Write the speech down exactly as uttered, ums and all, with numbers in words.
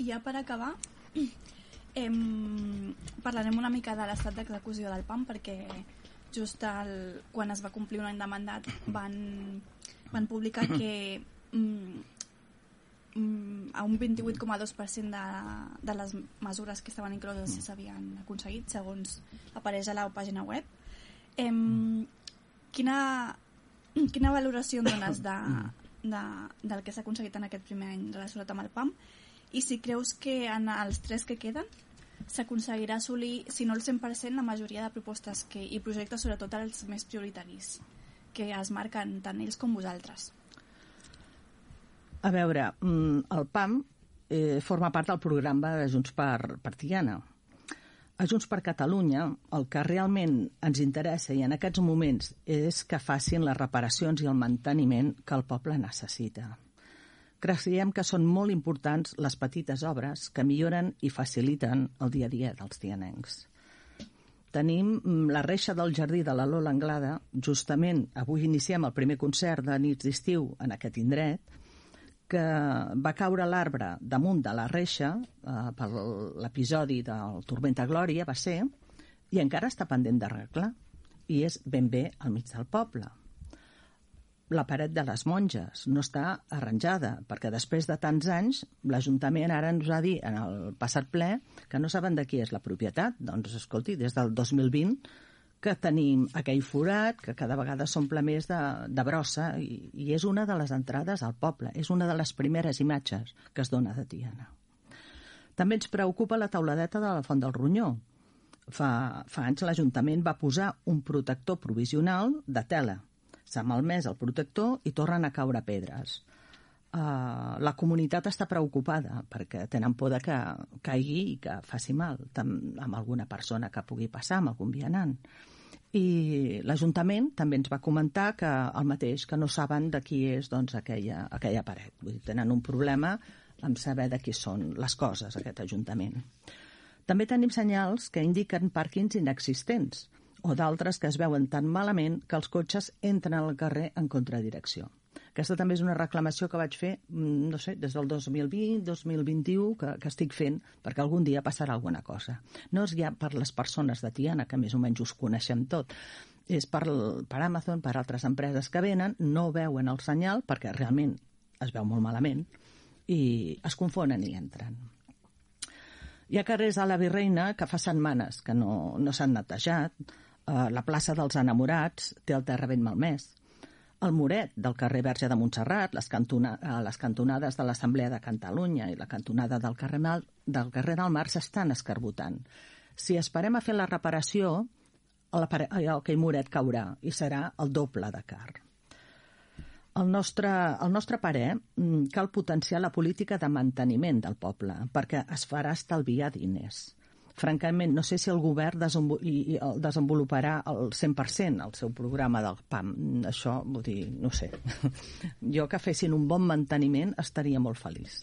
I ja per acabar, em, parlarem una mica de l'estat d'execució del PAM, perquè just el, quan es va complir un any de mandat van, van publicar que mm, mm, a un vint-i-vuit coma dos per cent de, de les mesures que estaven incloses s'havien aconseguit, segons apareix a la pàgina web. Em, quina, quina valoració en dones de, de, del que s'ha aconseguit en aquest primer any relacionat amb el PAM? I si creus que en els tres que queden s'aconseguirà assolir, si no el cent per cent, la majoria de propostes que, i projectes, sobretot els més prioritaris, que es marquen tant ells com vosaltres. A veure, el PAM eh, forma part del programa de Junts per, per Tiana. A Junts per Catalunya el que realment ens interessa i en aquests moments és que facin les reparacions i el manteniment que el poble necessita. Creiem que són molt importants les petites obres que milloren i faciliten el dia a dia dels tianencs. Tenim la reixa del jardí de la Lola Anglada. Justament avui iniciem el primer concert de nits d'estiu en aquest indret, que va caure l'arbre damunt de la reixa eh, per l'episodi del Tormenta Glòria, va ser, i encara està pendent d'arreglar, i és ben bé al mig del poble. La paret de les monges no està arranjada, perquè després de tants anys l'Ajuntament ara ens va dir en el passat ple que no saben de qui és la propietat. Doncs escolti, des del dos mil vint que tenim aquell forat que cada vegada s'omple més de, de brossa i, i és una de les entrades al poble, és una de les primeres imatges que es dona de Tiana. També ens preocupa la tauladeta de la Font del Ronyó. Fa, fa anys l'Ajuntament va posar un protector provisional de tela. S'ha malmès el protector i tornen a caure pedres. Uh, la comunitat està preocupada perquè tenen por de que caigui i que faci mal amb alguna persona que pugui passar, amb algun vianant. I l'Ajuntament també ens va comentar que el mateix, que no saben de qui és doncs, aquella, aquella paret. Vull dir, tenen un problema amb saber de qui són les coses, aquest Ajuntament. També tenim senyals que indiquen pàrquings inexistents o d'altres que es veuen tan malament que els cotxes entren al carrer en contradirecció. Aquesta també és una reclamació que vaig fer, no sé, des del dos mil vint, dos mil vint-i-u, que, que estic fent, perquè algun dia passarà alguna cosa. No és ja per les persones de Tiana, que més o menys us coneixem tot, és per, per Amazon, per altres empreses que venen, no veuen el senyal, perquè realment es veu molt malament, i es confonen i entren. Hi ha carrers a la Virreina que fa setmanes que no, no s'han netejat. Uh, la plaça dels Enamorats té el terra ben malmès. El muret del carrer Verge de Montserrat, les, cantona, uh, les cantonades de l'Assemblea de Catalunya i la cantonada del carrer, Mal, del carrer del Mar s'estan escarbotant. Si esperem a fer la reparació, el, aquell muret caurà i serà el doble de car. El nostre, el nostre parer, cal potenciar la política de manteniment del poble perquè es farà estalviar diners. Francament, no sé si el govern desenvoluparà el cent per cent el seu programa del PAM. Això, vull dir, no sé. Jo que fessin un bon manteniment estaria molt feliç.